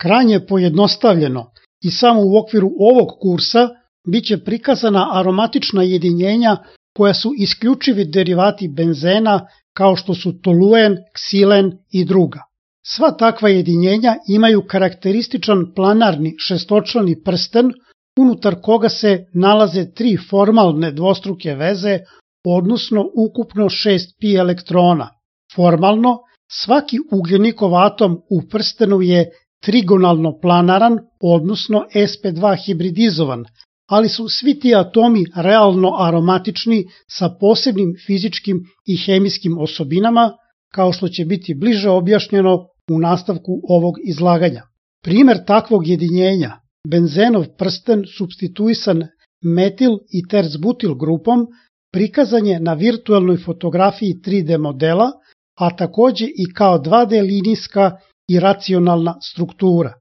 Krajnje pojednostavljeno i samo u okviru ovog kursa biće prikazana aromatična jedinjenja koja su isključivi derivati benzena kao što su toluen, ksilen i druga. Sva takva jedinjenja imaju karakterističan planarni šestočlani prsten unutar koga se nalaze 3 formalne dvostruke veze, odnosno ukupno 6 pi elektrona. Formalno, svaki ugljenikov atom u prstenu je trigonalno planaran, odnosno sp2 hibridizovan, ali su svi ti atomi realno aromatični sa posebnim fizičkim i hemijskim osobinama, kao što će biti bliže objašnjeno u nastavku ovog izlaganja. Primer takvog jedinjenja, benzenov prsten supstituisan metil i terzbutil grupom, prikazan je na virtualnoj fotografiji 3D modela, a takođe i kao 2D linijska i racionalna struktura.